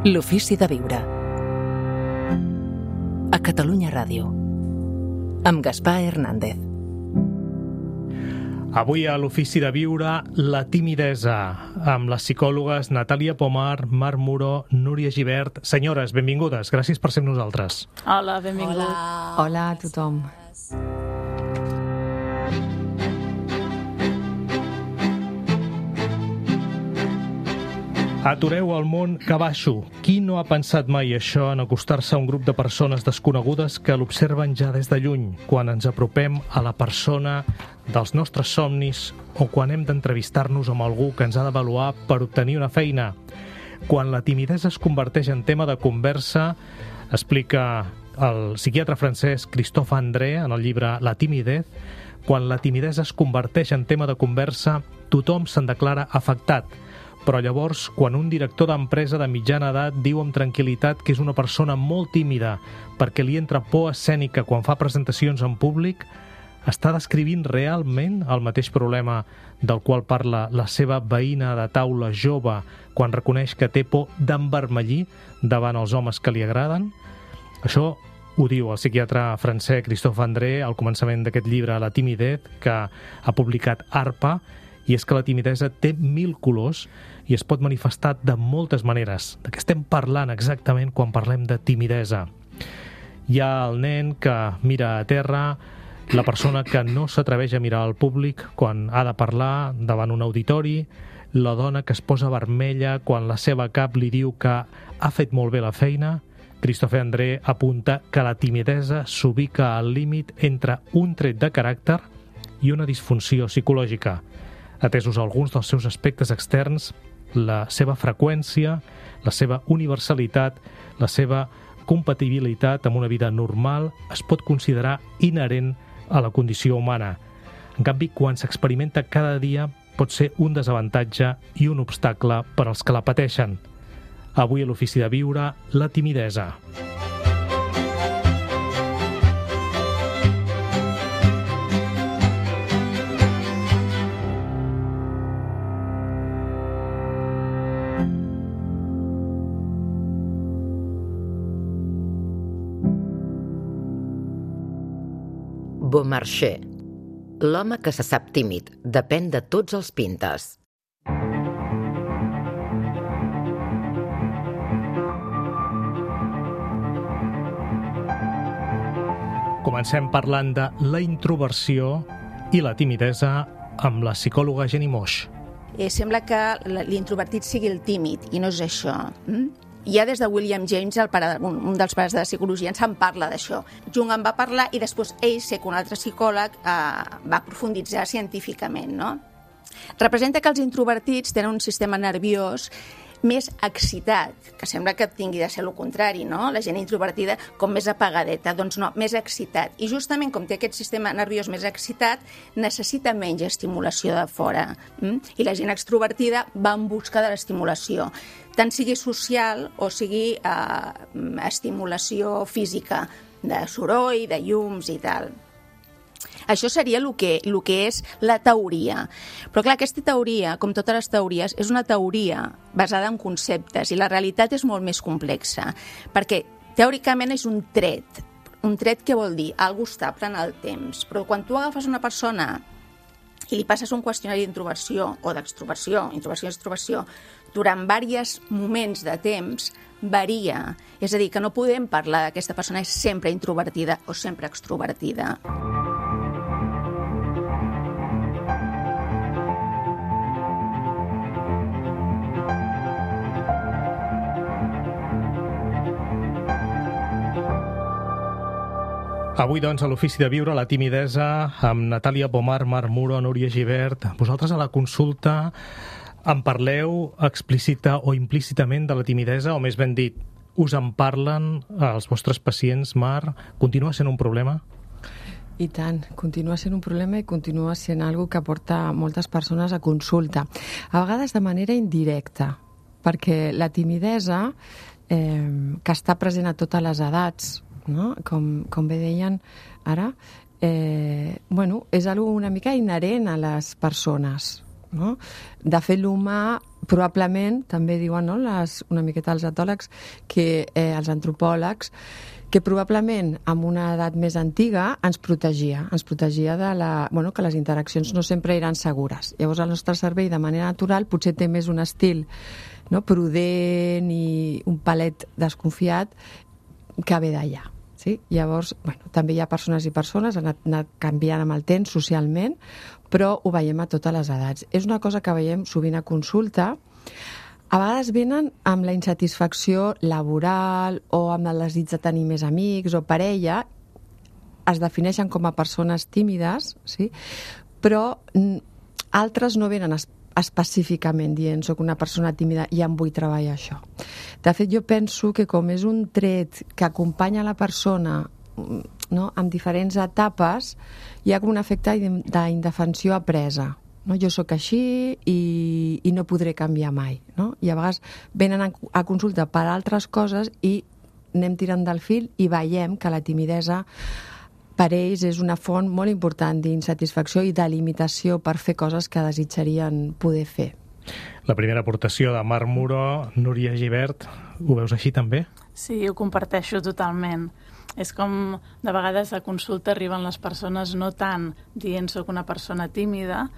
L'ofici de viure. A Catalunya Ràdio. Amb Gaspar Hernández. Avui a l'ofici de viure, la timidesa, amb les psicòlogues Natàlia Pomar, Marc Muro, Núria Gibert. Senyores, benvingudes, gràcies per ser amb nosaltres. Hola, benvingut. Hola a tothom. Atureu el món que baixo. Qui no ha pensat mai això en acostar-se a un grup de persones desconegudes que l'observen ja des de lluny, quan ens apropem a la persona dels nostres somnis o quan hem d'entrevistar-nos amb algú que ens ha d'avaluar per obtenir una feina? Quan la timidesa es converteix en tema de conversa, explica el psiquiatre francès Christophe André en el llibre La timidez, quan la timidesa es converteix en tema de conversa, tothom se'n declara afectat. Però llavors, quan un director d'empresa de mitjana edat diu amb tranquil·litat que és una persona molt tímida perquè li entra por escènica quan fa presentacions en públic, està descrivint realment el mateix problema del qual parla la seva veïna de taula jove quan reconeix que té por d'envermellir davant els homes que li agraden? Això ho diu el psiquiatre francès Christophe André al començament d'aquest llibre La timidez, que ha publicat ARPA, i és que la timidesa té 1000 colors i es pot manifestar de moltes maneres. De què estem parlant exactament quan parlem de timidesa? Hi ha el nen que mira a terra, la persona que no s'atreveix a mirar al públic quan ha de parlar davant un auditori, la dona que es posa vermella quan la seva cap li diu que ha fet molt bé la feina. Christophe André apunta que la timidesa s'ubica al límit entre un tret de caràcter i una disfunció psicològica. Atesos alguns dels seus aspectes externs, la seva freqüència, la seva universalitat, la seva compatibilitat amb una vida normal es pot considerar inherent a la condició humana. En canvi, quan s'experimenta cada dia, pot ser un desavantatge i un obstacle per als que la pateixen. Avui a l'ofici de viure, la timidesa. Beaumarchais. L'home que se sap tímid depèn de tots els pintes. Comencem parlant de la introversió i la timidesa amb la psicòloga Jenny Moix. Sembla que l'introvertit sigui el tímid, i no és això. Ja des de William James, un dels pares de la psicologia, ens en parla d'això. Jung en va parlar i després ell, sé que un altre psicòleg, va profunditzar científicament, no? Representa que els introvertits tenen un sistema nerviós més excitat, que sembla que tingui de ser el contrari, no? La gent introvertida com més apagadeta, doncs no, més excitat. I justament com té aquest sistema nerviós més excitat, necessita menys estimulació de fora. I la gent extrovertida va en busca de l'estimulació, tant sigui social o sigui estimulació física, de soroll, de llums i tal. Això seria el que és la teoria. Però clar, aquesta teoria, com totes les teories, és una teoria basada en conceptes i la realitat és molt més complexa, perquè teòricament és un tret. Un tret què vol dir? Algo estable en el temps. Però quan tu agafes una persona i li passes un qüestionari d'introversió o d'extroversió, introversió i extroversió, durant diversos moments de temps, varia. És a dir, que no podem parlar d'aquesta persona és sempre introvertida o sempre extrovertida. Avui, doncs, a l'ofici de viure la timidesa amb Natàlia Pomar, Marc Muro, Núria Gibert. Vosaltres a la consulta en parleu explícita o implícitament de la timidesa, o més ben dit, us en parlen els vostres pacients, Marc? Continua sent un problema? I tant, continua sent un problema i continua sent algo que porta moltes persones a consulta. A vegades de manera indirecta, perquè la timidesa, que està present a totes les edats, no? Com bé deien ara, és algo una mica inherent a les persones. no? De fet, l'humà probablement, també diuen, no, una miqueta els etòlegs, els antropòlegs, que probablement amb una edat més antiga ens protegia que les interaccions no sempre eren segures. Llavors el nostre cervell de manera natural potser té més un estil, no, prudent i un palet desconfiat que ve d'allà. Sí? Llavors, també hi ha persones i persones, han anat canviant amb el temps socialment, però ho veiem a totes les edats. És una cosa que veiem sovint a consulta. A vegades venen amb la insatisfacció laboral o amb el desig de tenir més amics o parella, es defineixen com a persones tímides, sí? Però altres no venen específicament dient soc una persona tímida i em vull treballar això. De fet, jo penso que com és un tret que acompanya la persona, no, en diferents etapes, hi ha com un efecte d'indefensió apresa. No? Jo sóc així i no podré canviar mai. No? I a vegades venen a consulta per altres coses i anem tirant del fil i veiem que la timidesa per ells és una font molt important d'insatisfacció i de limitació per fer coses que desitjarien poder fer. La primera aportació de Marc Muro, Núria Gibert, ho veus així també? Sí, ho comparteixo totalment. És com de vegades a consulta arriben les persones no tant dient soc una persona tímida,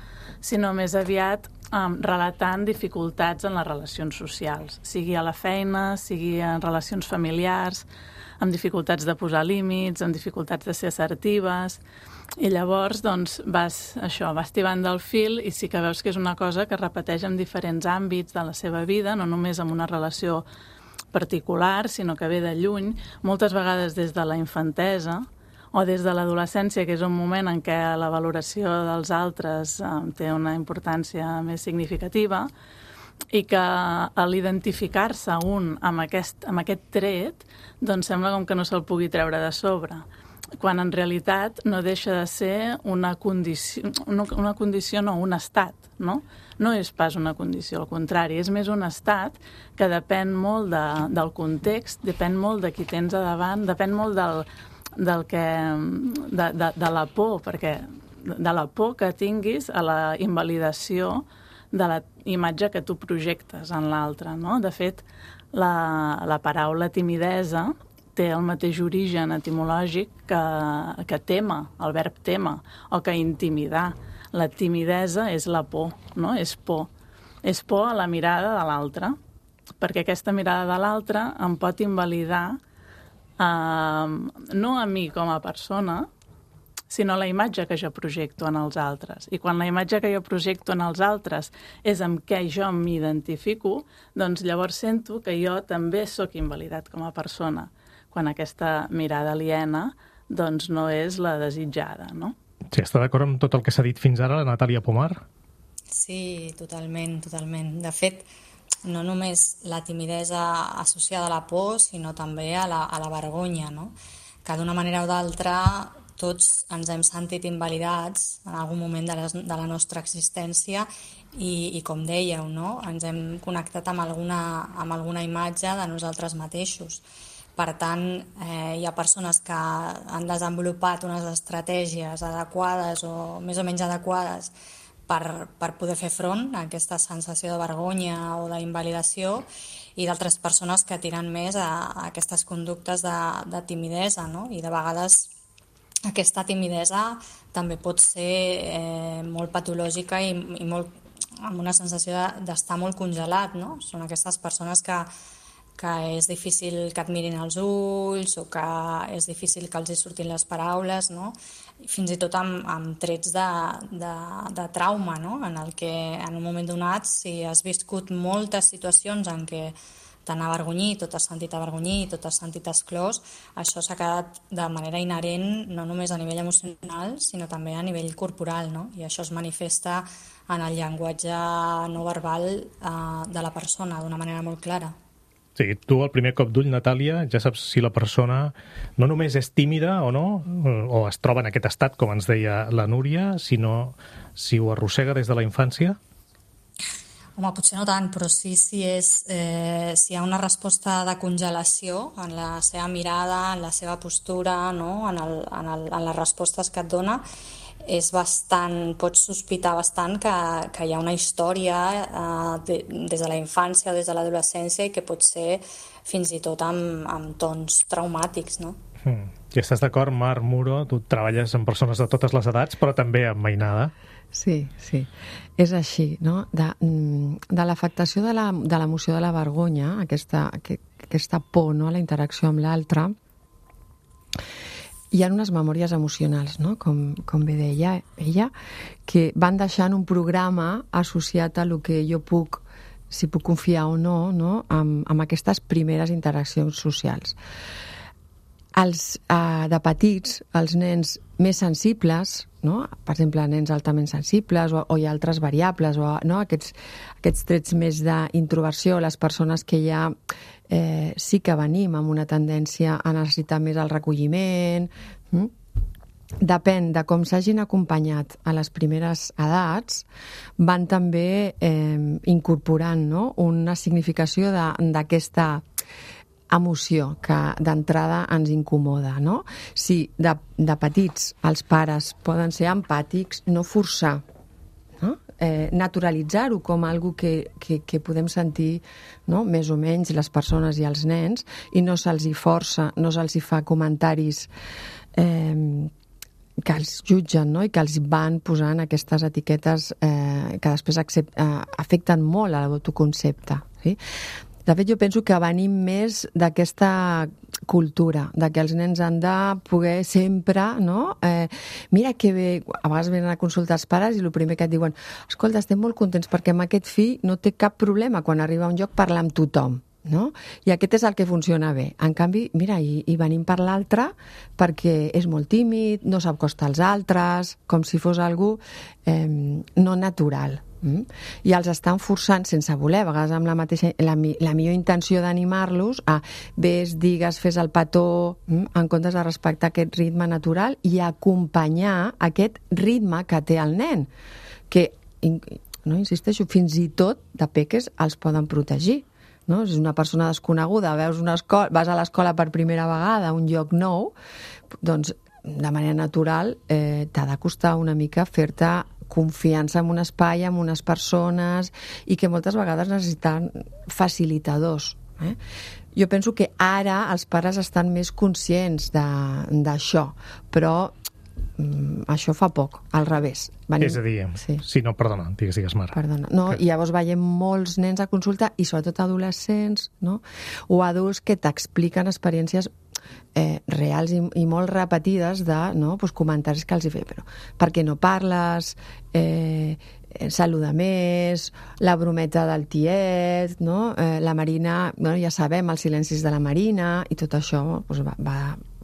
sinó més aviat relatant dificultats en les relacions socials, sigui a la feina, sigui en relacions familiars, amb dificultats de posar límits, amb dificultats de ser assertives, i llavors doncs, vas tibant del fil i sí que veus que és una cosa que es repeteix en diferents àmbits de la seva vida, no només en una relació particular, sinó que ve de lluny, moltes vegades des de la infantesa o des de l'adolescència, que és un moment en què la valoració dels altres té una importància més significativa, i que a l'identificar-se un amb aquest tret, doncs sembla com que no se'l pugui treure de sobre, quan en realitat no deixa de ser una condició, no, un estat, no? No és pas una condició, al contrari, és més un estat que depèn molt del context, depèn molt de qui tens a davant, depèn molt de la por, perquè de la por que tinguis a la invalidació de la imatge que tu projectes en l'altre, no? De fet, la paraula timidesa té el mateix origen etimològic que tema, el verb tema, o que intimidar. La timidesa és la por, no? És por. És por a la mirada de l'altre, perquè aquesta mirada de l'altre em pot invalidar no a mi com a persona, sinó la imatge que jo projecto en els altres. I quan la imatge que jo projecto en els altres és amb què jo m'identifico, doncs llavors sento que jo també sóc invalidat com a persona, quan aquesta mirada aliena doncs no és la desitjada, no? Sí, està d'acord amb tot el que s'ha dit fins ara la Natàlia Pomar? Sí, totalment, totalment. De fet, no només la timidesa associada a la por, sinó també a la vergonya, no? Que d'una manera o d'altra tots ens hem sentit invalidats en algun moment de la nostra existència i com dèieu, no? Ens hem connectat amb alguna imatge de nosaltres mateixos. Per tant, hi ha persones que han desenvolupat unes estratègies adequades o més o menys adequades per poder fer front a aquesta sensació de vergonya o d'invalidació, i d'altres persones que tiren més a aquestes conductes de timidesa, no? I de vegades aquesta timidesa també pot ser molt patològica i molt, amb una sensació d'estar molt congelat, no? Són aquestes persones que és difícil que et mirin als ulls o que és difícil que els hi surtin les paraules, no? Fins i tot amb trets de trauma, no? En el que en un moment donat, si has viscut moltes situacions en què t'han avergonyit o t'has sentit avergonyit o t'has sentit exclòs, això s'ha quedat de manera inherent no només a nivell emocional, sinó també a nivell corporal, no? I això es manifesta en el llenguatge no verbal de la persona d'una manera molt clara. Sí, tu al primer cop d'ull, Natàlia, ja saps si la persona no només és tímida o no, o es troba en aquest estat, com ens deia la Núria, sinó si ho arrossega des de la infància? Home, potser no tant, però sí si hi ha una resposta de congelació en la seva mirada, en la seva postura, no? en les respostes que et dona, és bastant, pots sospitar bastant que hi ha una història des de la infància o des de l'adolescència i que pot ser fins i tot amb tons traumàtics, no? I estàs d'acord, Mar Muro? Tu treballes amb persones de totes les edats, però també amb mainada. Sí, és així, no? De l'afectació de l'emoció de la vergonya, aquesta por, no?, a la interacció amb l'altre, hi ha unes memòries emocionals, no?, com bé deia ella, que van deixant un programa associat a lo que jo puc, si puc confiar o no, amb aquestes primeres interaccions socials. De petits, els nens més sensibles, no?, per exemple, nens altament sensibles o hi ha altres variables, no?, aquests trets més d'introversió, les persones que ja sí que venim amb una tendència a necessitar més el recolliment. Depèn de com s'hagin acompanyat a les primeres edats, van també incorporant, no?, una significació d'aquesta emoció que d'entrada ens incomoda, no? Si de petits els pares poden ser empàtics, no forçar, no? Naturalitzar-ho com algo que podem sentir, no?, més o menys les persones i els nens, i no se'ls hi força, no se'ls hi fa comentaris que els jutgen, no?, i que els van posant aquestes etiquetes que després afecten molt a l'autoconcepte, sí? De fet, jo penso que venim més d'aquesta cultura, de que els nens han de poder sempre, no? Mira que bé, a vegades venen a consultar els pares i el primer que et diuen, escolta, estem molt contents perquè amb aquest fill no té cap problema quan arriba a un lloc parlar amb tothom, no? I aquest és el que funciona bé. En canvi, mira, i venim per l'altre perquè és molt tímid, no s'acosta als altres, com si fos algú no natural. I els estan forçant sense voler, a vegades amb la millor intenció d'animar-los a ves, digues, fes el petó, en comptes de respectar aquest ritme natural i acompanyar aquest ritme que té el nen, que, no, insisteixo, fins i tot de peques els poden protegir. No? Si és una persona desconeguda, vas a l'escola per primera vegada a un lloc nou, doncs de manera natural t'ha de costar una mica fer-te confiança en un espai, en unes persones, i que moltes vegades necessiten facilitadors. Jo penso que ara els pares estan més conscients d'això, però això fa poc, al revés. És a dir, sí, no, perdona, digues, Mar. Perdona. No, i llavors veiem molts nens a consulta, i sobretot adolescents, no?, o adults que t'expliquen experiències reals i molt repetides de, no?, doncs comentaris que els hi feia, però per què no parles, saluda més, la brometa del tiet, no?, la Marina, bueno, ja sabem els silencis de la Marina, i tot això doncs,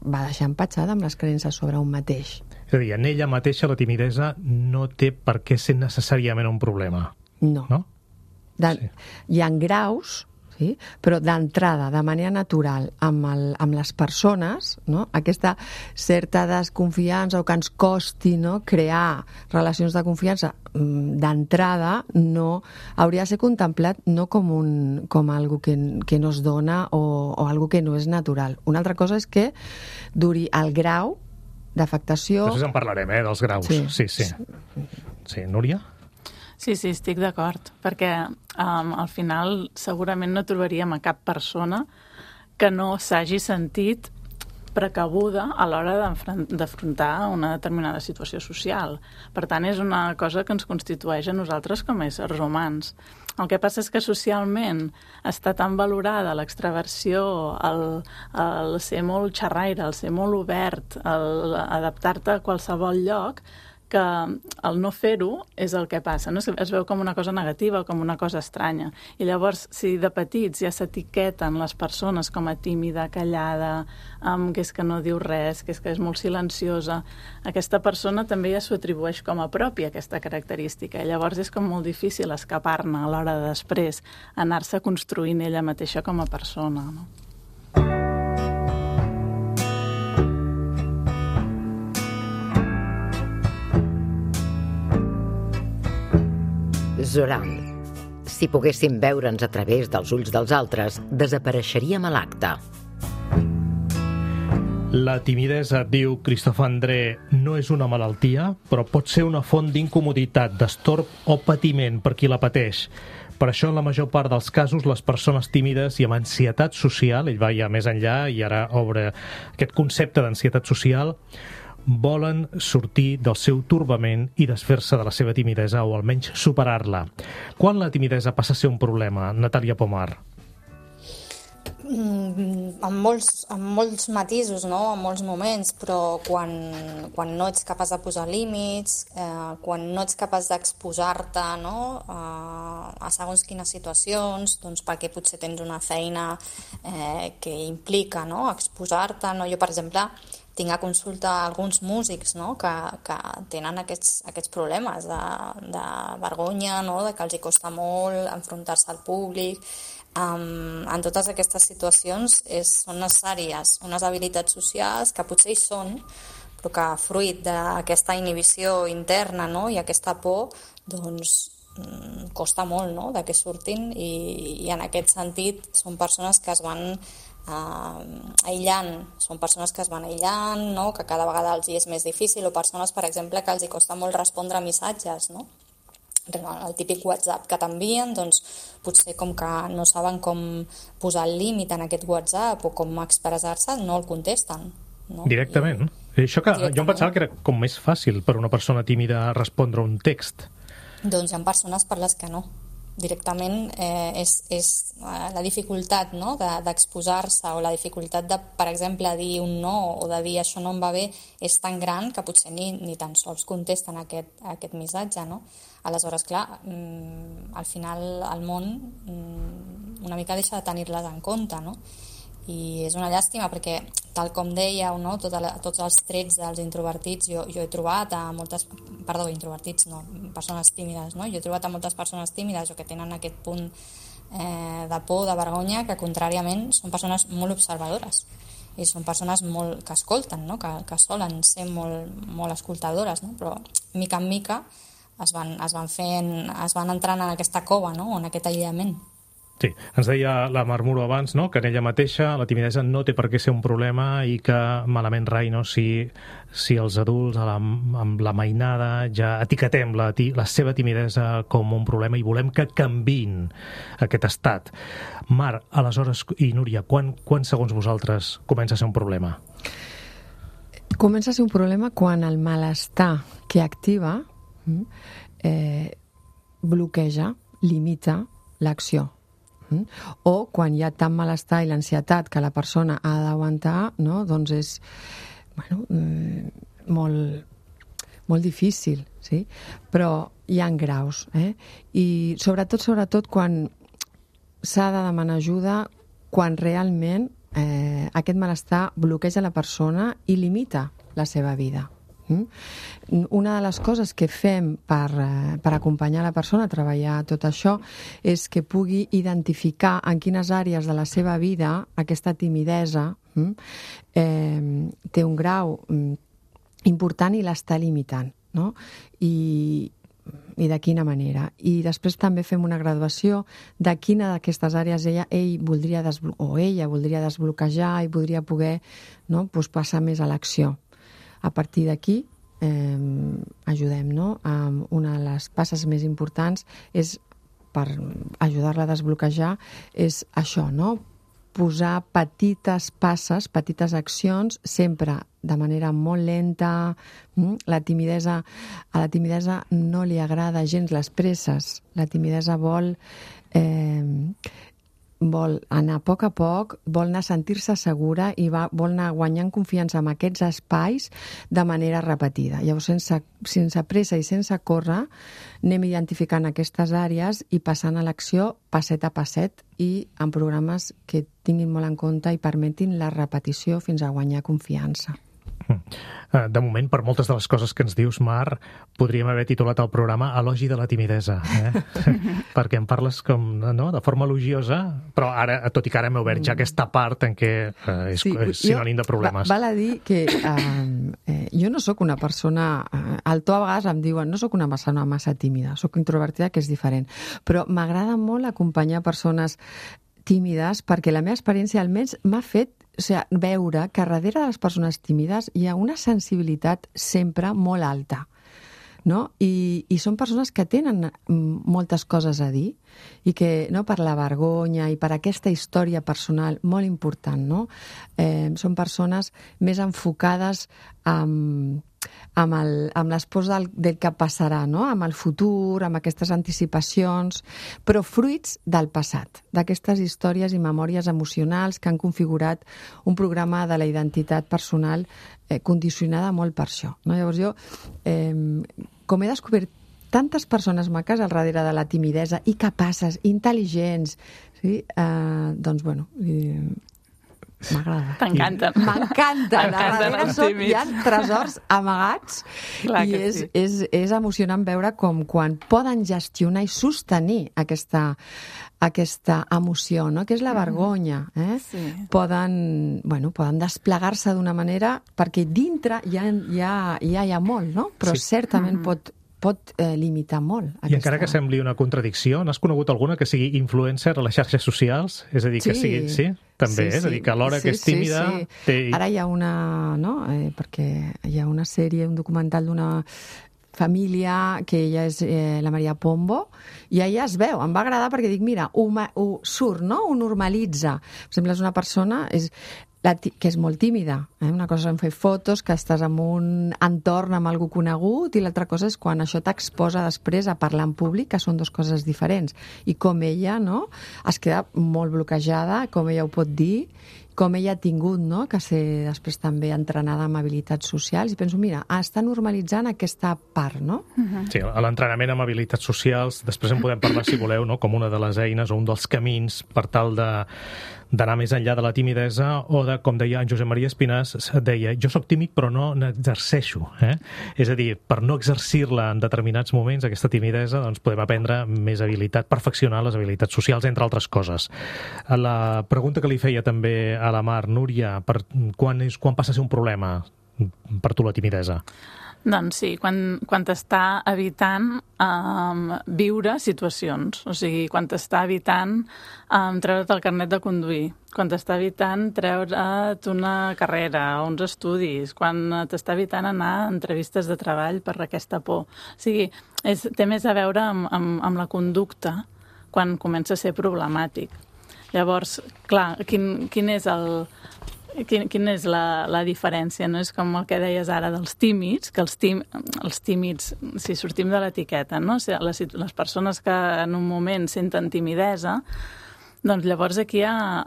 va deixar empatxada amb les creences sobre un mateix. És a dir, en ella mateixa la timidesa no té per què ser necessàriament un problema. No? Sí. Hi ha graus, sí? Però d'entrada, de manera natural, amb les persones, no?, aquesta certa desconfiança o que ens costi, no?, crear relacions de confiança, d'entrada no hauria de ser contemplat no com algo que no es dona o algo que no és natural. Una altra cosa és que duri el grau d'afectació... Després en parlarem, dels graus. Sí, Núria? Sí, estic d'acord, perquè al final segurament no trobaríem a cap persona que no s'hagi sentit precabuda a l'hora d'afrontar una determinada situació social. Per tant, és una cosa que ens constitueix a nosaltres com a éssers humans. El que passa és que socialment està tan valorada l'extraversió, el ser molt xerraire, el ser molt obert, adaptar-te a qualsevol lloc, que el no fer-ho és el que passa, no? Es veu com una cosa negativa, com una cosa estranya. I llavors, si de petits ja s'etiqueten les persones com a tímida, callada, que és que no diu res, que és molt silenciosa, aquesta persona també ja s'ho atribueix com a pròpia, aquesta característica. I llavors és com molt difícil escapar-ne a l'hora de després anar-se construint ella mateixa com a persona, no? Zoran. Si poguéssim veure'ns a través dels ulls dels altres, desapareixeríem a l'acte. La timidesa, diu Christophe André, no és una malaltia, però pot ser una font d'incomoditat, d'estorb o patiment per qui la pateix. Per això, en la major part dels casos, les persones tímides i amb ansietat social, ell va ja més enllà i ara obre aquest concepte d'ansietat social, volen sortir del seu torbament i desfer-se de la seva timidesa o almenys superar-la. Quan la timidesa passa a ser un problema, Natàlia Pomar? Amb molts matisos, no? En molts moments, però quan no ets capaç de posar límits, quan no ets capaç d'exposar-te, no? A segons quines situacions, doncs perquè potser tens una feina que implica, no? Exposar-te, no? Jo, per exemple, tinc a consulta alguns músics, no? que tenen aquests problemes de vergonya, no? De que els hi costa molt enfrontar-se al públic. En totes aquestes situacions són necessàries unes habilitats socials que potser hi són, però que fruit d'aquesta inhibició interna, no? I aquesta por, doncs costa molt, no? De que surtin i en aquest sentit són persones que es van aïllant, no? Que cada vegada els hi és més difícil, o persones, per exemple, que els hi costa molt respondre a missatges, no? El típic WhatsApp que t'envien, doncs potser com que no saben com posar el límit en aquest WhatsApp o com expressar-se, no el contesten. No? Directament. Això que jo em pensava que era com més fàcil per una persona tímida respondre un text. Doncs hi ha persones per les que no. Directament és la dificultat, no? D'exposar-se, o la dificultat de, per exemple, dir un no o de dir això no em va bé, és tan gran que potser ni tan sols contesten aquest missatge, no? Aleshores, clar, al final el món una mica deixa de tenir-les en compte, no? I és una llàstima perquè, tal com dèieu, no? Tots els trets dels introvertits, jo he trobat a persones tímides, no? Jo he trobat a moltes persones tímides o que tenen aquest punt de por, de vergonya, que contràriament són persones molt observadores i són persones que escolten, no? Que solen ser molt escoltadores, no? Però mica en mica es van entrant en aquesta cova, no? En aquest aïllament. Sí, ens deia la Marmuro abans, no? Que en ella mateixa la timidesa no té per què ser un problema i que malament rai, no? Si els adults amb la mainada ja etiquetem la seva timidesa com un problema i volem que canviïn aquest estat. Mar, aleshores, i Núria, quan segons vosaltres comença a ser un problema? Comença a ser un problema quan el malestar que activa bloqueja, limita l'acció. O quan hi ha tant malestar i l'ansietat que la persona ha d'aguantar, no? Doncs és molt difícil, sí? Però hi ha graus, i sobretot quan s'ha de demanar ajuda, quan realment aquest malestar bloqueja la persona i limita la seva vida. Una de les coses que fem per acompanyar la persona a treballar tot això és que pugui identificar en quines àrees de la seva vida aquesta timidesa té un grau important i l'està limitant, no? I de quina manera. I després també fem una graduació de quina d'aquestes àrees ell voldria desbloquejar i podria poder, no? Passar més a l'acció. A partir d'aquí ajudem, no? Una de les passes més importants és, per ajudar-la a desbloquejar, és això, no? Posar petites passes, petites accions, sempre de manera molt lenta. A la timidesa no li agrada gens les presses. La timidesa vol anar a poc, vol anar a sentir-se segura i vol anar guanyant confiança en aquests espais de manera repetida. Llavors, sense pressa i sense córrer, anem identificant aquestes àrees i passant a l'acció passet a passet i en programes que tinguin molt en compte i permetin la repetició fins a guanyar confiança. De moment, per moltes de les coses que ens dius, Mar, podríem haver titulat el programa Elogi de la timidesa, perquè em parles de forma elogiosa, però ara, tot i que ara m'he obert ja aquesta part en què és sinònim de problemes. Val a dir que jo no sóc una persona, al to a vegades em diuen, no sóc una persona massa tímida, sóc introvertida, que és diferent, però m'agrada molt acompanyar persones tímides perquè la meva experiència almenys m'ha fet veure que darrere de les persones tímides hi ha una sensibilitat sempre molt alta, no? I són persones que tenen moltes coses a dir i que, no, per la vergonya i per aquesta història personal molt important, no? Són persones més enfocades amb les pors del que passarà, no? Amb el futur, amb aquestes anticipacions, però fruits del passat, d'aquestes històries i memòries emocionals que han configurat un programa de la identitat personal condicionada molt per això, no? Llavors jo, com he descobert tantes persones maques al darrere de la timidesa i capaces, intel·ligents, sí? Doncs, bueno, m'agrada. T'encanten. M'encanten. M'encanten. Hi ha tresors amagats. Clar, i és emocionant veure com quan poden gestionar i sostenir aquesta emoció, no? Que és la vergonya. Sí. Poden desplegar-se d'una manera, perquè dintre hi ha molt, no? Però certament pot limitar molt. I encara que sembli una contradicció, n'has conegut alguna que sigui influencer a les xarxes socials? És a dir, que sigui... Sí, també, és a dir, que alhora que és tímida... Ara hi ha una... no? Perquè hi ha una sèrie, un documental d'una família, que ella és la Maria Pombo, i ella es veu, em va agradar perquè dic, mira, ho surt, no? Ho normalitza. Per exemple, és una persona que és molt tímida. Una cosa és fer fotos, que estàs en un entorn amb algú conegut, i l'altra cosa és quan això t'exposa després a parlar en públic, que són dues coses diferents. I com ella, no?, es queda molt bloquejada, com ella ho pot dir, com ella ha tingut, no?, que ser després també entrenada amb habilitats socials, i penso, mira, està normalitzant aquesta part, no? Sí, l'entrenament amb habilitats socials, després en podem parlar, si voleu, no?, com una de les eines o un dels camins per tal d'anar més enllà de la timidesa, o de, com deia en Josep Maria Espinàs, deia, jo sóc tímid però no n'exerceixo. És a dir, per no exercir-la en determinats moments, aquesta timidesa, doncs podem aprendre més habilitat, perfeccionar les habilitats socials, entre altres coses. La pregunta que li feia també a la Mar, Núria, quan passa a ser un problema per tu la timidesa? Doncs sí, quan t'està evitant viure situacions, o sigui, quan t'està evitant treure't el carnet de conduir, quan t'està evitant treure't una carrera o uns estudis, quan t'està evitant anar a entrevistes de treball per aquesta por. O sigui, té més a veure amb la conducta quan comença a ser problemàtic. Llavors, clar, quina és la diferència, no? És com el que deies ara dels tímids, que els tímids, si sortim de l'etiqueta, no? Les persones que en un moment senten timidesa, doncs llavors aquí hi ha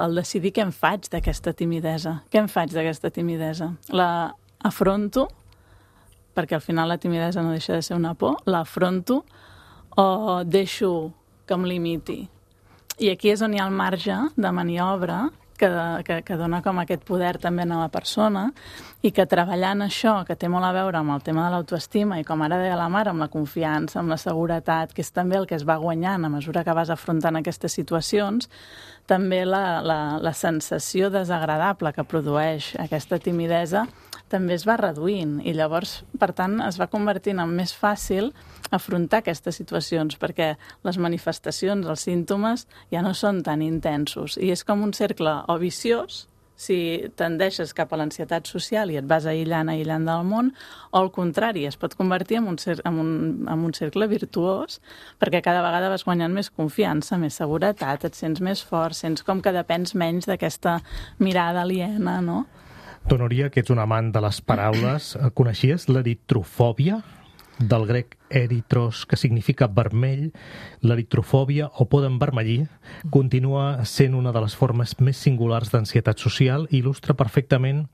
el decidir què em faig d'aquesta timidesa. Què em faig d'aquesta timidesa? L'afronto, perquè al final la timidesa no deixa de ser una por, l'afronto o deixo que em limiti. I aquí és on hi ha el marge de maniobra que dona com aquest poder també a la persona, i que treballant això, que té molt a veure amb el tema de l'autoestima i, com ara deia la Mar, amb la confiança, amb la seguretat, que és també el que es va guanyant a mesura que vas afrontant aquestes situacions, també la sensació desagradable que produeix aquesta timidesa també es va reduint, i llavors, per tant, es va convertint en més fàcil afrontar aquestes situacions, perquè les manifestacions, els símptomes, ja no són tan intensos. I és com un cercle o viciós, si tendeixes cap a l'ansietat social i et vas aïllant del món, o al contrari, es pot convertir en un cercle virtuós, perquè cada vegada vas guanyant més confiança, més seguretat, et sents més fort, sents com que depens menys d'aquesta mirada aliena, no? Tu, Núria, que ets un amant de les paraules, coneixies l'eritrofòbia? Del grec eritros, que significa vermell, l'eritrofòbia, o por d'envermellir, continua sent una de les formes més singulars d'ansietat social i il·lustra perfectament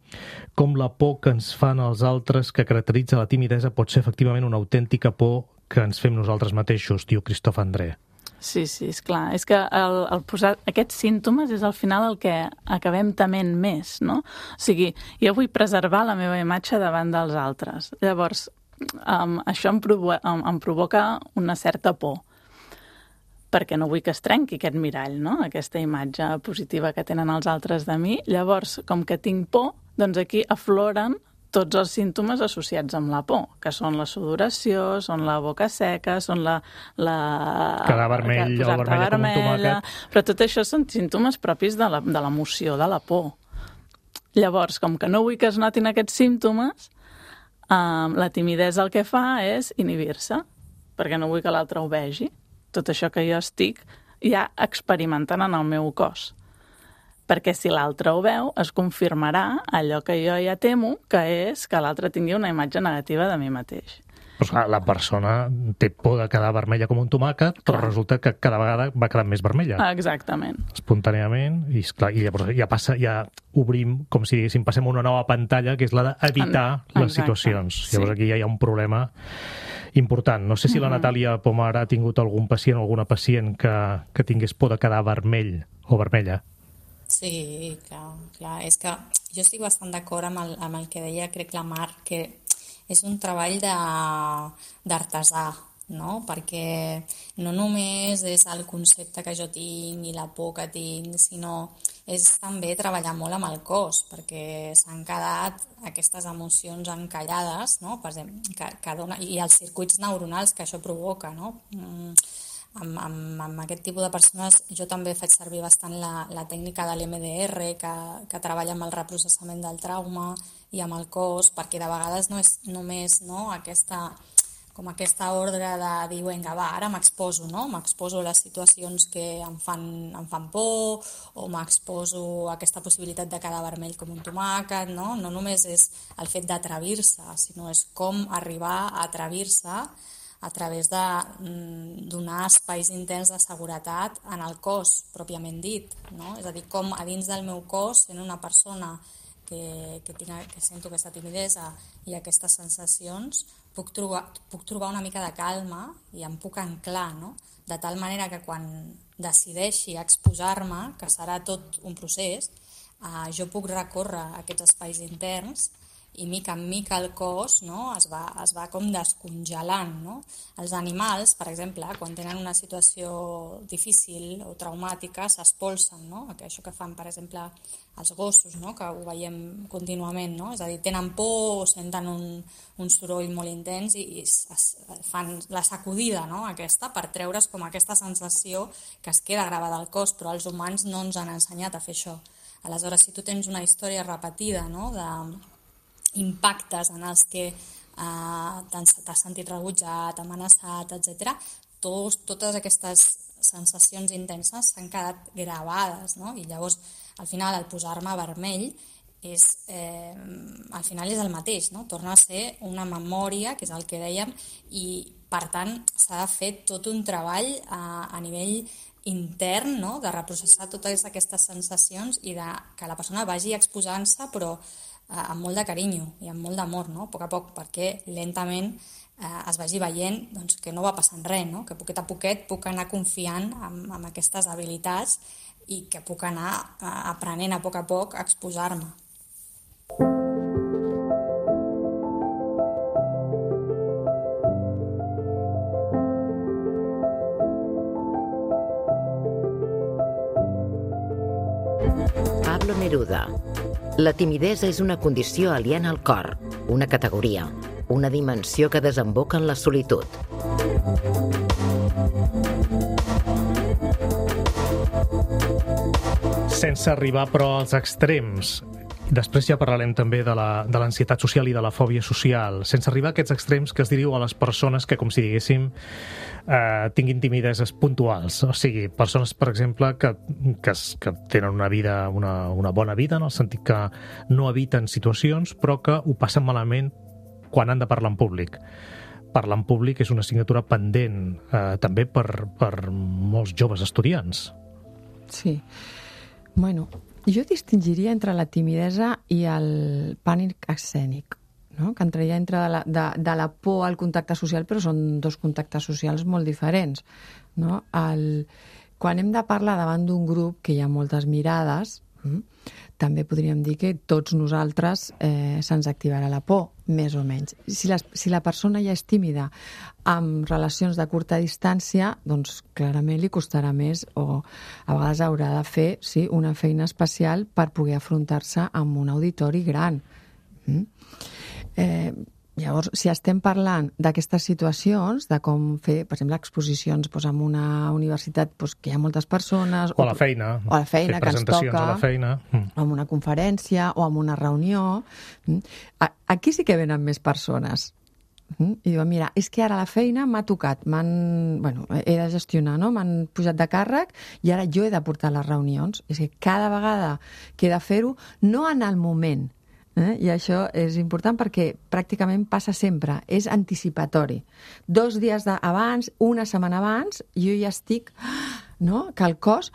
com la por que ens fan els altres, que caracteritza la timidesa, pot ser efectivament una autèntica por que ens fem nosaltres mateixos, diu Christophe André. Sí, és clar. És que el posar aquests símptomes és al final el que acabem tement més, no? O sigui, jo vull preservar la meva imatge davant dels altres. Llavors, això em provoca una certa por, perquè no vull que es trenqui aquest mirall, no? Aquesta imatge positiva que tenen els altres de mi. Llavors, com que tinc por, doncs aquí afloren tots els símptomes associats amb la por, que són la sudoració, són la boca seca, són quedar vermell o vermella com un tomàquet. Però tot això són símptomes propis de l'emoció, de la por. Llavors, com que no vull que es notin aquests símptomes, la timidesa el que fa és inhibir-se, perquè no vull que l'altre ho vegi. Tot això que jo estic ja experimentant en el meu cos. Perquè si l'altre ho veu, es confirmarà allò que jo ja temo, que és que l'altre tingui una imatge negativa de mi mateix. Doncs la persona té por de quedar vermella com un tomàquet, però resulta que cada vegada va quedant més vermella. Exactament. Espontàniament, i llavors ja obrim, com si diguéssim, passem una nova pantalla, que és la d'evitar les situacions. Llavors aquí ja hi ha un problema important. No sé si la Natàlia Pomar ha tingut algun pacient o alguna pacient que tingués por de quedar vermell o vermella. Sí, clar. És que jo estic bastant d'acord amb el que deia, crec, la Mar, que és un treball d'artesà, no? Perquè no només és el concepte que jo tinc i la por que tinc, sinó és també treballar molt amb el cos, perquè s'han quedat aquestes emocions encallades, no? Per exemple, que dona, i els circuits neuronals que això provoca, no? Amb aquest tipus de persones jo també faig servir bastant la tècnica de l'EMDR que treballa amb el reprocessament del trauma i amb el cos, perquè de vegades no és només aquesta ordre de dir, vinga, va, ara m'exposo, no? M'exposo a les situacions que em fan por o m'exposo a aquesta possibilitat de quedar vermell com un tomàquet, no? No només és el fet d'atrevir-se, sinó és com arribar a atrevir-se a través de donar espais interns de seguretat en el cos, pròpiament dit, no? És a dir, com a dins del meu cos, sent una persona que sento aquesta timidesa i aquestes sensacions, puc trobar una mica de calma i em puc anclar, no? De tal manera que quan decideixi exposar-me, que serà tot un procés, jo puc recórrer aquests espais interns i mica en mica el cos, no, es va com descongelant, no? Els animals, per exemple, quan tenen una situació difícil o traumàtica, s'espolsen, no? Això que fan, per exemple, els gossos, no? Que ho veiem contínuament, no? És a dir, tenen por o senten un soroll molt intens i fan la sacudida, no? Aquesta, per treure's com aquesta sensació que es queda gravada al cos, però els humans no ens han ensenyat a fer això. Aleshores, si tu tens una història repetida, no?, impactes en els que t'has sentit rebutjat, amenaçat, etc. Totes aquestes sensacions intenses s'han quedat gravades, no? I llavors, al final, el posar-me vermell al final és el mateix, no? Torna a ser una memòria, que és el que dèiem, i, per tant, s'ha de fer tot un treball a nivell intern, no?, de reprocessar totes aquestes sensacions i que la persona vagi exposant-se, però amb molt de carinyo i amb molt d'amor, no? A poc a poc, perquè lentament es vagi veient doncs, que no va passant res, no? Que poquet a poquet puc anar confiant en aquestes habilitats i que puc anar aprenent a poc a exposar-me. Pablo Neruda. La timidesa és una condició aliena al cor, una categoria, una dimensió que desemboca en la solitud. Sense arribar, però, als extrems. Després ja parlarem també de l'ansietat social i de la fòbia social, sense arribar a aquests extrems que es diriu a les persones que, com si diguéssim, tinguin timideses puntuals. O sigui, persones, per exemple, que tenen una bona vida, en el sentit que no eviten situacions, però que ho passen malament quan han de parlar en públic. Parlar en públic és una assignatura pendent també per molts joves estudiants. Sí. Bueno, jo distingiria entre la timidesa i el pànic escènic, no? Que entraria entre de la por al contacte social, però són dos contactes socials molt diferents, no? Quan hem de parlar davant d'un grup que hi ha moltes mirades, també podríem dir que tots nosaltres se'ns activarà la por, més o menys. Si la persona ja és tímida amb relacions de curta distància, doncs clarament li costarà més o a vegades haurà de fer una feina especial per poder afrontar-se amb un auditori gran. Llavors, si estem parlant d'aquestes situacions, de com fer, per exemple, exposicions en una universitat que hi ha moltes persones... O a la feina. O a la feina, que ens toca. A la feina. O en una conferència, o en una reunió. Aquí sí que venen més persones. I diuen, mira, és que ara la feina m'ha tocat, he de gestionar, no? M'han pujat de càrrec i ara jo he de portar les reunions. És que cada vegada que he de fer-ho, no en el moment, i això és important perquè pràcticament passa sempre, és anticipatori. 2 dies abans, una setmana abans, jo ja estic, no? Que el cos,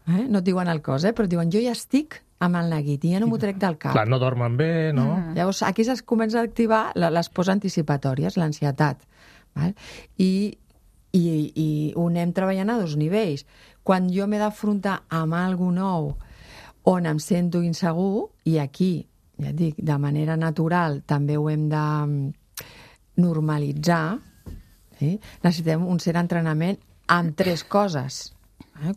no et diuen el cos, però et diuen jo ja estic amb el neguit i ja no m'ho trec del cap. Clar, no dormen bé, no? Llavors, aquí es comença a activar les pors anticipatòries, l'ansietat. I ho anem treballant a 2 nivells. Quan jo m'he d'afrontar amb alguna nou on em sento insegur, i aquí, ja et dic, de manera natural també ho hem de normalitzar, necessitem un cert entrenament amb 3 coses.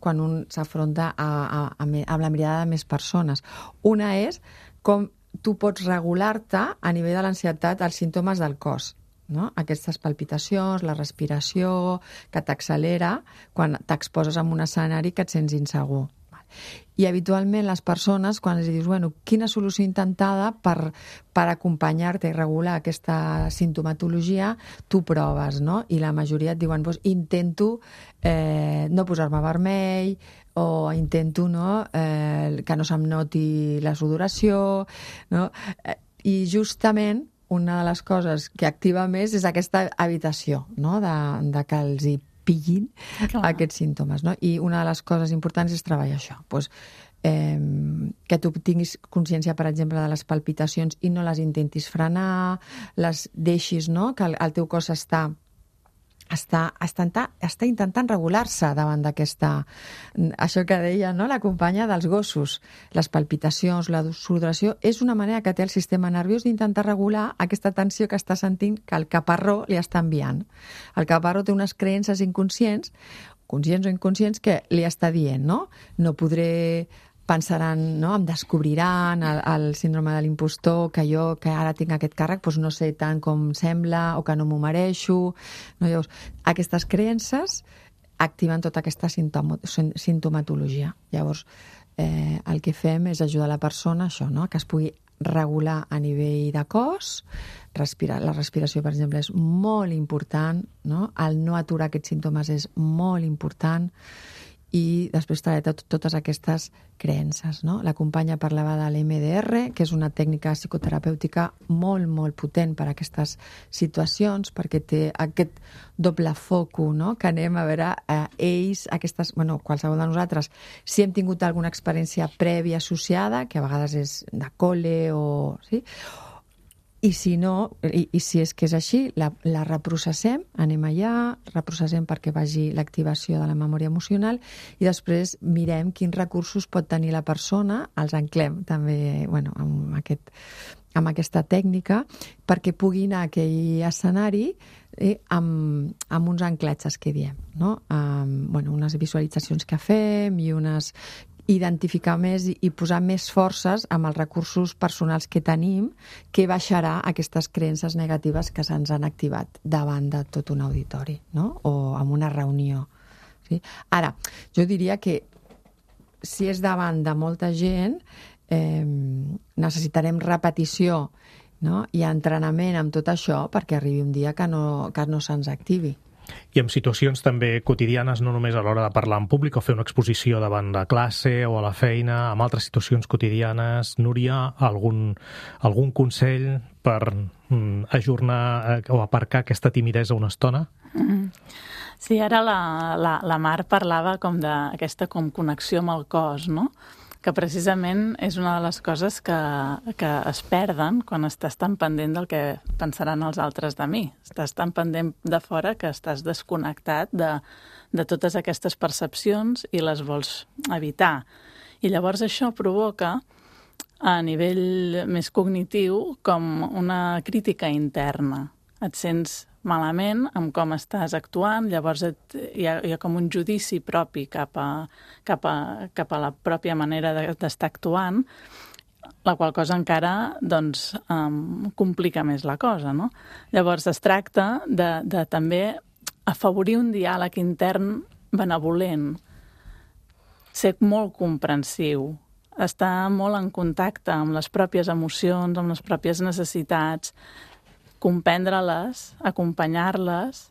Quan un s'afronta amb la mirada de més persones. Una és com tu pots regular-te a nivell de l'ansietat als símptomes del cos. No? Aquestes palpitacions, la respiració, que t'accelera quan t'exposes en un escenari que et sents insegur. I habitualment les persones, quan els dius, quina solució intentada per acompanyar-te i regular aquesta sintomatologia, tu proves, no? I la majoria et diuen, intento no posar-me vermell, o intento que no se'm noti la sudoració, no? I justament una de les coses que activa més és aquesta evitació, no? De que els hi pillin aquests símptomes, no? I una de les coses importants és treballar això. Que tu tinguis consciència, per exemple, de les palpitacions i no les intentis frenar, les deixis, no? Que el teu cos està intentant regular-se davant d'aquesta... Això que deia, no? La companya dels gossos. Les palpitacions, la sudoració, és una manera que té el sistema nerviós d'intentar regular aquesta tensió que està sentint que el caparró li està enviant. El caparró té unes creences inconscients, conscients o inconscients, que li està dient, no? No podré... pensaran, no? Em descobriran el síndrome de l'impostor, que jo, que ara tinc aquest càrrec, no sé tant com sembla o que no m'ho mereixo. No? Llavors, aquestes creences activen tota aquesta sintomatologia. Llavors, el que fem és ajudar la persona això, no? Que es pugui regular a nivell de cos, la respiració, per exemple, és molt important, no? El no aturar aquests símptomes és molt important, i després treballar totes aquestes creences, no? La companya parlava de l'EMDR, que és una tècnica psicoterapèutica molt, molt potent per a aquestes situacions, perquè té aquest doble foco, no? Que anem a veure ells, qualsevol de nosaltres, si hem tingut alguna experiència prèvia associada, que a vegades és de col·le o... Sí? I si no, i si és que és així, la reprocessem, anem allà, reprocessem perquè vagi l'activació de la memòria emocional i després mirem quins recursos pot tenir la persona, els anclem també amb aquesta tècnica perquè pugui anar a aquell escenari amb uns anclatges que diem, no? Unes visualitzacions que fem i identificar més i posar més forces amb els recursos personals que tenim, que baixarà aquestes creences negatives que se'ns han activat davant de tot un auditori, no? O en una reunió. Sí? Ara, jo diria que si és davant de molta gent, necessitarem repetició, no? I entrenament amb tot això perquè arribi un dia que no se'ns activi. I en situacions també quotidianes, no només a l'hora de parlar en públic o fer una exposició davant la classe o a la feina, amb altres situacions quotidianes, Núria, algun consell per ajornar o aparcar aquesta timidesa una estona? Sí, ara la Mar parlava com d'aquesta connexió amb el cos, no? Que precisament és una de les coses que es perden quan estàs tan pendent del que pensaran els altres de mi. Estàs tan pendent de fora que estàs desconnectat de totes aquestes percepcions i les vols evitar. I llavors això provoca, a nivell més cognitiu, com una crítica interna. Et sents malament amb com estàs actuant, llavors hi ha com un judici propi cap a la pròpia manera d'estar actuant, la qual cosa encara complica més la cosa, no? Llavors es tracta de també afavorir un diàleg intern benevolent, ser molt comprensiu, estar molt en contacte amb les pròpies emocions, amb les pròpies necessitats, comprendre-les, acompanyar-les,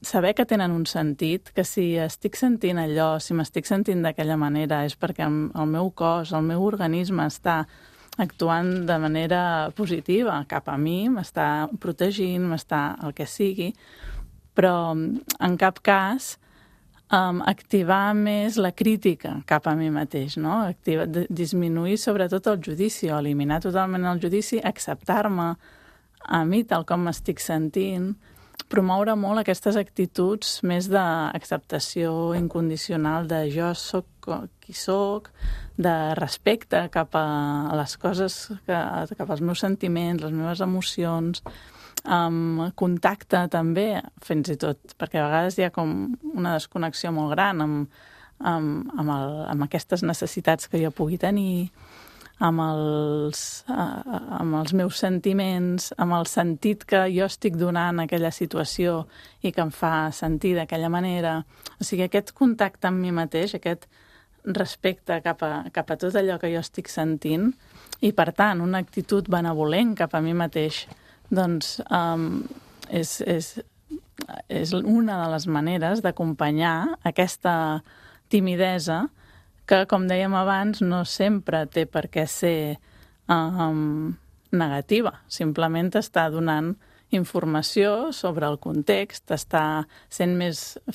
saber que tenen un sentit, que si estic sentint allò, si m'estic sentint d'aquella manera, és perquè el meu cos, el meu organisme està actuant de manera positiva cap a mi, m'està protegint, m'està el que sigui, però en cap cas activar més la crítica cap a mi mateix, no? Disminuir sobretot el judici o eliminar totalment el judici, acceptar-me a mi tal com m'estic sentint, promoure molt aquestes actituds més d'acceptació incondicional de jo soc qui soc, de respecte cap a les coses, cap als meus sentiments, les meves emocions, contacte també, fins i tot, perquè a vegades hi ha com una desconnexió molt gran amb aquestes necessitats que jo pugui tenir, amb els meus sentiments, amb el sentit que jo estic donant a aquella situació i que em fa sentir d'aquella manera. O sigui, aquest contacte amb mi mateix, aquest respecte cap a tot allò que jo estic sentint i, per tant, una actitud benevolent cap a mi mateix, doncs és una de les maneres d'acompanyar aquesta timidesa que, com dèiem abans, no sempre té per què ser negativa. Simplement està donant informació sobre el context, està sent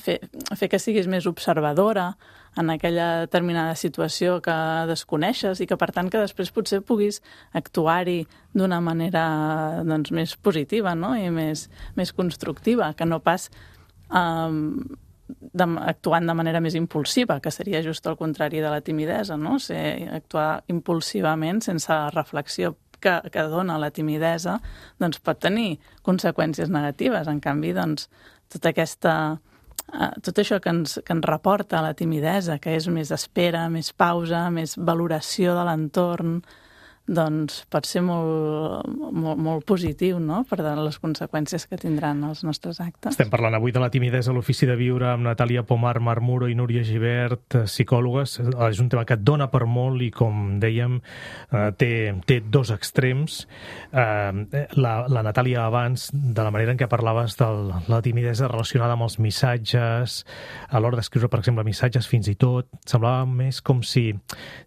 fer que siguis més observadora en aquella determinada situació que desconeixes i que, per tant, que després potser puguis actuar-hi d'una manera doncs, més positiva, no? I més constructiva, que no pas actuant de manera més impulsiva, que seria just el contrari de la timidesa, no? Actuar impulsivament, sense la reflexió que dona la timidesa, doncs pot tenir conseqüències negatives. En canvi, doncs, tot això que ens reporta la timidesa, que és més espera, més pausa, més valoració de l'entorn, doncs pot ser molt positiu, no?, per les conseqüències que tindran els nostres actes. Estem parlant avui de la timidesa a l'Ofici de Viure amb Natàlia Pomar Marmuro i Núria Gibert, psicòlogues. És un tema que et dona per molt i, com dèiem, té dos extrems. La Natàlia abans, de la manera en què parlaves de la timidesa relacionada amb els missatges, a l'hora d'escriure, per exemple, missatges fins i tot, semblava més com si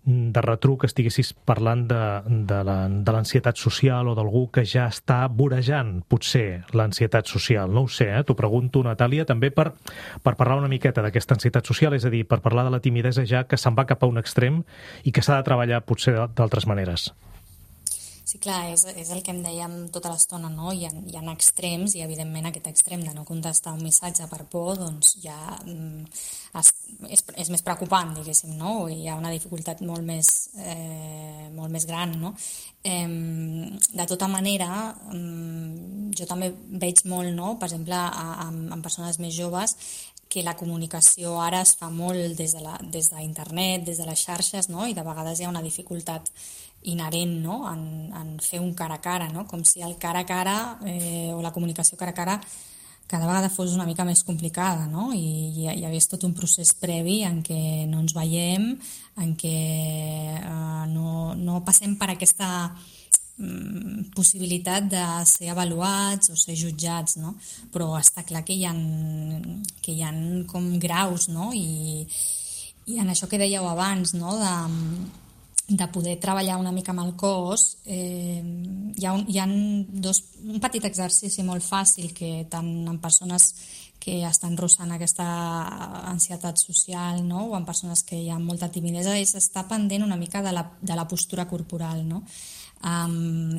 de retruc estiguessis parlant de l'ansietat social o d'algú que ja està vorejant, potser, l'ansietat social. No ho sé, t'ho pregunto, Natàlia, també per parlar una miqueta d'aquesta ansietat social, és a dir, per parlar de la timidesa ja que se'n va cap a un extrem i que s'ha de treballar potser d'altres maneres. Sí, clar, és el que em dèiem tota l'estona, no? Hi ha extrems i, evidentment, aquest extrem de no contestar un missatge per por, doncs ja és més preocupant, diguéssim, no? Hi ha una dificultat molt més gran, no? De tota manera, jo també veig molt, no?, per exemple, en persones més joves, que la comunicació ara es fa molt des d'internet, des de les xarxes, no? I de vegades hi ha una dificultat inherent, no?, en fer un cara a cara, no? Com si el cara a cara o la comunicació cara a cara cada vegada fos una mica més complicada, no? I hi hagués tot un procés previ en què no ens veiem, en què no passem per aquesta possibilitat de ser avaluats o ser jutjats, no? Però està clar que hi ha com graus, no? I en això que dèieu abans, no?, de poder treballar una mica amb el cos, hi ha un petit exercici molt fàcil que tant en persones que estan rossant aquesta ansietat social, no?, o en persones que hi ha molta timidesa, és estar pendent una mica de la postura corporal, no?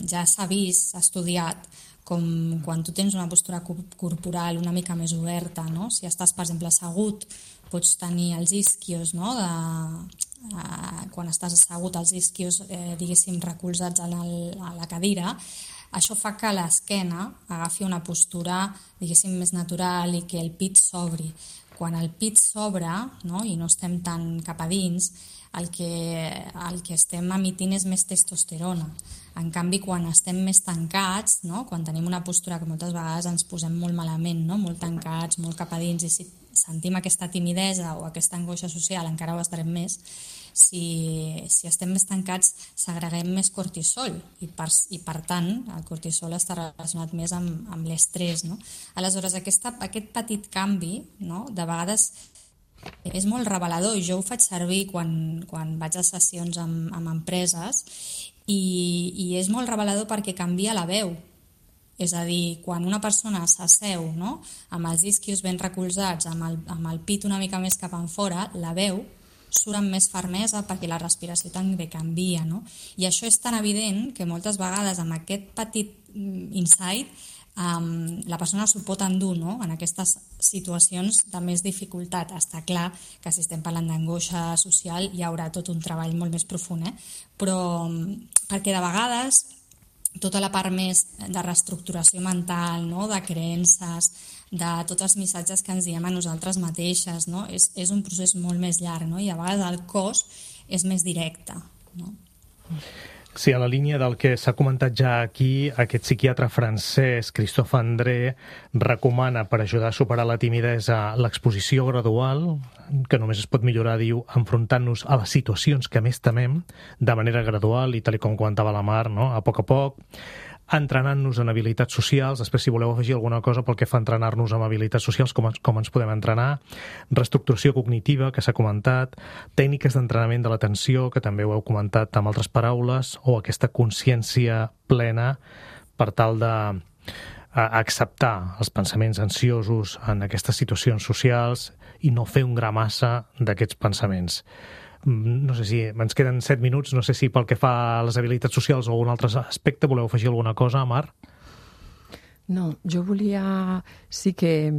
Ja s'ha vist, s'ha estudiat, com quan tu tens una postura corporal una mica més oberta, no? Si estàs, per exemple, assegut, pots tenir els isquios, no?, quan estàs assegut, els isquios, diguéssim, recolzats a la cadira. Això fa que l'esquena agafi una postura, diguéssim, més natural i que el pit s'obri. quan el pit s'obre, no? I no estem tan cap a dins, el que estem emitint és més testosterona. En canvi, quan estem més tancats, no? Quan tenim una postura que moltes vegades ens posem molt malament, no? Molt tancats, molt cap a dins, i si sentim aquesta timidesa o aquesta angoixa social, encara ho estarem més. Si estem més tancats, segreguem més cortisol i per tant el cortisol està relacionat més amb l'estrès, no? Aleshores, aquest petit canvi, no? De vegades és molt revelador, i jo ho faig servir quan vaig a sessions amb empreses, i és molt revelador perquè canvia la veu. És a dir, quan una persona s'asseu, no? Amb els isquios ben recolzats, amb el pit una mica més cap enfora, la veu surt amb més fermesa perquè la respiració també canvia, no? I això és tan evident que moltes vegades amb aquest petit insight la persona s'ho pot endur, no? En aquestes situacions de més dificultat. Està clar que si estem parlant d'angoixa social hi haurà tot un treball molt més profund, però perquè de vegades tota la part més de reestructuració mental, no? De creences, de tots els missatges que ens diem a nosaltres mateixes, no? És un procés molt més llarg, no? I a vegades el cos és més directe, no? Sí, a la línia del que s'ha comentat ja aquí, aquest psiquiatre francès, Christophe André, recomana per ajudar a superar la timidesa l'exposició gradual, que només es pot millorar, diu, enfrontant-nos a les situacions que més temem, de manera gradual, i tal com comentava la Mar, no? A poc, entrenant-nos en habilitats socials. Després, si voleu afegir alguna cosa pel que fa a entrenar-nos en habilitats socials, com ens podem entrenar, reestructuració cognitiva, que s'ha comentat, tècniques d'entrenament de l'atenció, que també ho heu comentat amb altres paraules, o aquesta consciència plena per tal d'acceptar els pensaments ansiosos en aquestes situacions socials i no fer un gra massa d'aquests pensaments. No sé si ens queden 7 minuts, no sé si pel que fa a les habilitats socials o algun altre aspecte voleu afegir alguna cosa, Mar? No, jo volia sí que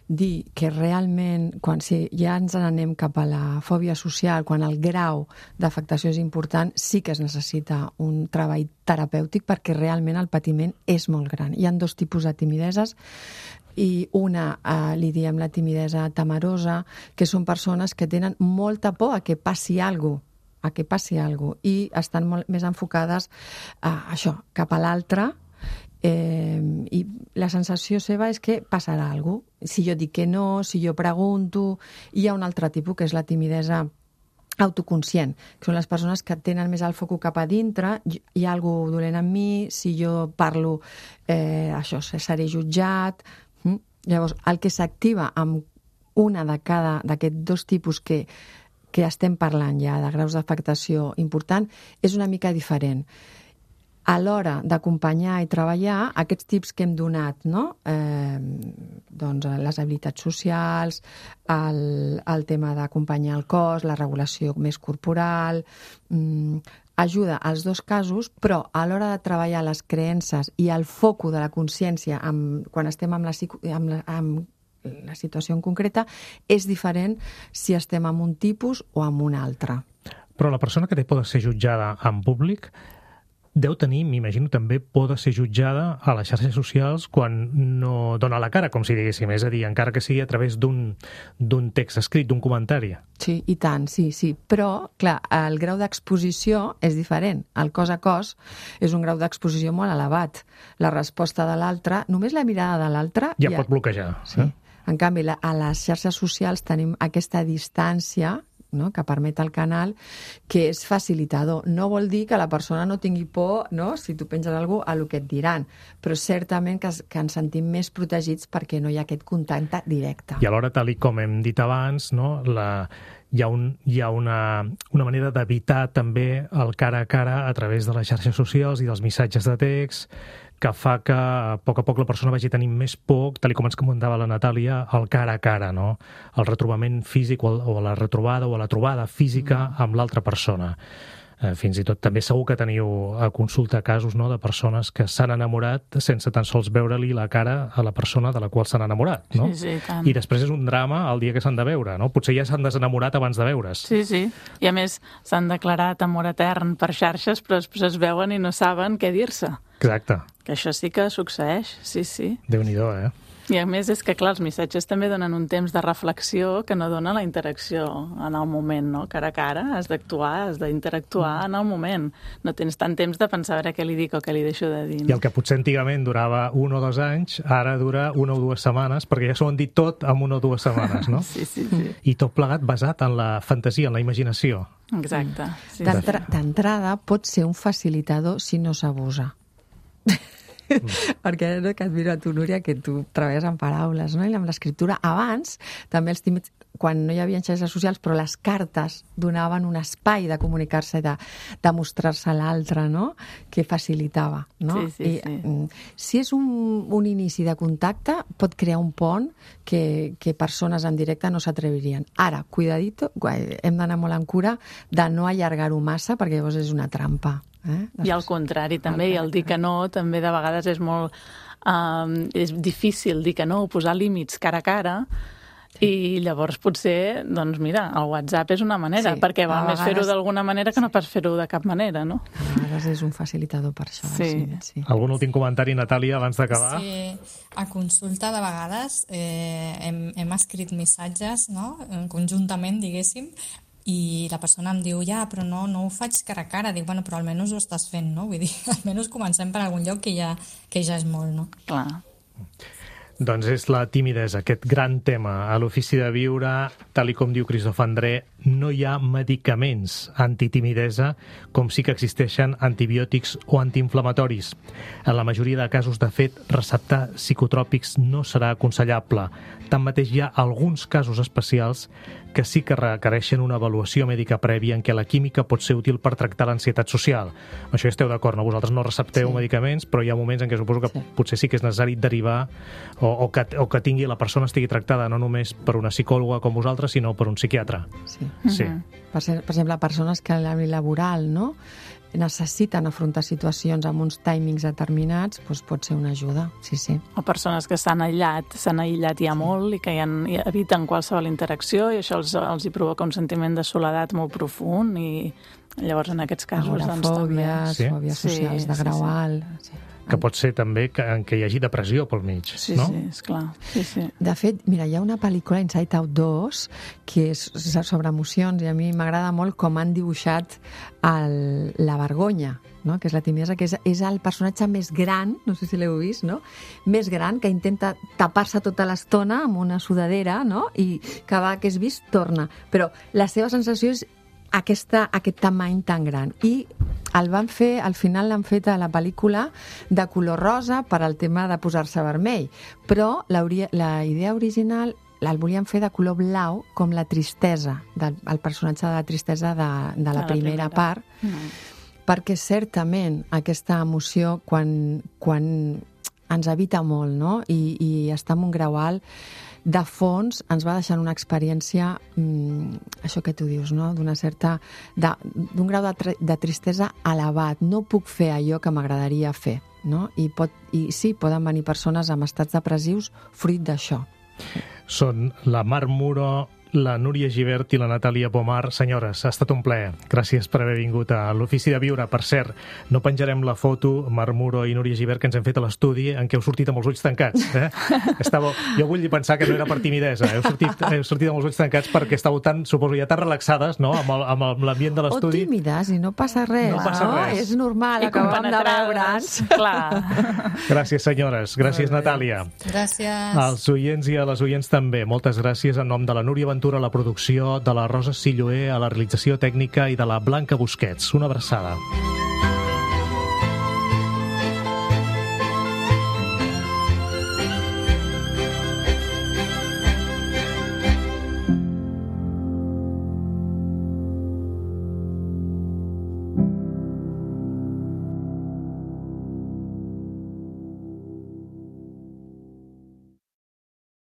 dir que realment, quan ja ens n'anem cap a la fòbia social, quan el grau d'afectació és important, sí que es necessita un treball terapèutic perquè realment el patiment és molt gran. Hi ha 2 tipus de timideses, i una li diem la timidesa temerosa, que són persones que tenen molta por a que passi alguna cosa, i estan molt més enfocades a això, cap a l'altre, i la sensació seva és que passarà alguna cosa. Si jo dic que no, si jo pregunto. Hi ha un altre tipus, que és la timidesa autoconscient, que són les persones que tenen més el foc cap a dintre, hi ha alguna cosa dolent en mi, si jo parlo, això, seré jutjat. Llavors, el que s'activa amb una de cada d'aquests 2 tipus que estem parlant ja de graus d'afectació important és una mica diferent. A l'hora d'acompanyar i treballar, aquests tips que hem donat, no? Doncs les habilitats socials, el tema d'acompanyar el cos, la regulació més corporal, ajuda als 2 casos, però a l'hora de treballar les creences i el foco de la consciència quan estem amb la situació en concreta, és diferent si estem en un tipus o en un altre. Però la persona que té por de ser jutjada en públic deu tenir, m'imagino, també por de ser jutjada a les xarxes socials quan no dona la cara, com si diguéssim, és a dir, encara que sigui a través d'un text escrit, d'un comentari. Sí, i tant, sí. Però, clar, el grau d'exposició és diferent. El cos a cos és un grau d'exposició molt elevat. La resposta de l'altre, només la mirada de l'altre... Ja pot bloquejar. Sí. En canvi, a les xarxes socials tenim aquesta distància, no?, que permet el canal, que és facilitador. No vol dir que la persona no tingui por, no?, si tu penges alguna cosa, a lo que et diran, però certament que ens sentim més protegits perquè no hi ha aquest contacte directe. I alhora, tal com hem dit abans, no?, hi ha una manera d'evitar també el cara a cara a través de les xarxes socials i dels missatges de text, que fa que a poc la persona vagi tenint més por, tal com ens comentava la Natàlia, el cara a cara, no? El retrobament físic o la retrobada o la trobada física amb l'altra persona. Fins i tot també segur que teniu a consulta casos, no?, de persones que s'han enamorat sense tan sols veure-li la cara a la persona de la qual s'han enamorat, no? Sí, tant. I després és un drama el dia que s'han de veure, no? Potser ja s'han desenamorat abans de veure's. Sí. I a més s'han declarat amor etern per xarxes, però després es veuen i no saben què dir-se. Exacte. Que això sí que succeeix, sí. Déu-n'hi-do, I a més és que, clar, els missatges també donen un temps de reflexió que no dona la interacció en el moment, no? Cara a cara, has d'actuar, has d'interactuar en el moment. No tens tant temps de pensar a veure què li dic o què li deixo de dir. I el que potser antigament durava 1 o 2 anys, ara dura 1 o 2 setmanes, perquè ja s'ho han dit tot en 1 o 2 setmanes, no? Sí. I tot plegat basat en la fantasia, en la imaginació. Exacte. Sí, D'entrada pot ser un facilitador si no s'abusa. Perquè no, que et miro a tu, Núria, que tu treballes amb paraules, no? I amb l'escriptura. Abans, també els tímids, quan no hi havia xarxes socials, però les cartes donaven un espai de comunicar-se i de mostrar-se a l'altre, no? Que facilitava, no? Sí. Si és un inici de contacte, pot crear un pont que persones en directe no s'atrevirien. Ara, cuidadito, hem d'anar molt en cura de no allargar-ho massa, perquè llavors és una trampa. I al contrari, també, i el dir que no, també de vegades és molt... és difícil dir que no, posar límits cara a cara, i llavors potser, doncs mira, el WhatsApp és una manera, perquè val més fer-ho d'alguna manera que no pas fer-ho de cap manera, no? A vegades és un facilitador per això. Sí. Algun últim comentari, Natàlia, abans d'acabar? Sí, a consulta de vegades hem escrit missatges, no?, conjuntament, diguéssim, i la persona em diu, però no ho faig cara a cara. Dic, bueno, però almenys ho estàs fent, no? Vull dir, almenys comencem per algun lloc que ja és molt, no? Clar. Doncs és la timidesa, aquest gran tema. A l'Ofici de Viure, tal i com diu Christophe André, no hi ha medicaments antitimidesa, com sí que existeixen antibiòtics o antiinflamatoris. En la majoria de casos, de fet, receptar psicotròpics no serà aconsellable. Tanmateix, hi ha alguns casos especials que sí que requereixen una avaluació mèdica prèvia en què la química pot ser útil per tractar l'ansietat social. Amb això esteu d'acord, no? Vosaltres no recepteu medicaments, però hi ha moments en què suposo que potser sí que és necessari derivar o que tingui la persona estigui tractada no només per una psicòloga com vosaltres, sinó per un psiquiatre. Sí. Per exemple, persones que a l'àmbit laboral, no?, necessiten afrontar situacions amb uns timings determinats, doncs pot ser una ajuda, sí. O persones que s'han aïllat ja molt i que ja eviten qualsevol interacció i això els hi provoca un sentiment de soledat molt profund i llavors en aquests casos doncs també... Fòbies socials de grau alt... Que pot ser també que hi hagi depressió pel mig, no? Sí, esclar. Sí. De fet, mira, hi ha una pel·lícula, Inside Out 2, que és sobre emocions, i a mi m'agrada molt com han dibuixat la vergonya, no? Que és la timidesa, que és el personatge més gran, no sé si l'heu vist, no? Més gran, que intenta tapar-se tota l'estona amb una sudadera, no? I cada vegada que és vist, torna. Però la seva sensació és aquest tamany tan gran. I al final l'han fet a la pel·lícula de color rosa per al tema de posar-se vermell. Però la idea original el volien fer de color blau, com la tristesa, el personatge de la tristesa de la primera part, perquè certament aquesta emoció, quan ens evita molt, no?, i està en un grau alt, de fons ens va deixant una experiència, això que tu dius, no?, d'un grau de tristesa elevat. No puc fer allò que m'agradaria fer, no? I sí, poden venir persones amb estats depressius fruit d'això. Són la Mar Muro, la Núria Gibert i la Natàlia Pomar. Senyores, ha estat un plaer. Gràcies per haver vingut a l'Ofici de Viure. Per cert, no penjarem la foto, Mar Muro i Núria Gibert, que ens hem fet a l'estudi, en què heu sortit amb els ulls tancats. Jo vull pensar que no era per timidesa. Heu sortit amb els ulls tancats perquè estàveu suposo, tan relaxades, no?, amb l'ambient de l'estudi. O tímides, i no passa res. No passa res. És normal, acabem de veure'ns. Clar. Gràcies, senyores. Gràcies, Natàlia. Gràcies. Als oients i a les oients també. Moltes gràcies en nom de la Núria Ventura a la producció, de la Rosa Silloé a la realització tècnica i de la Blanca Busquets. Una abraçada.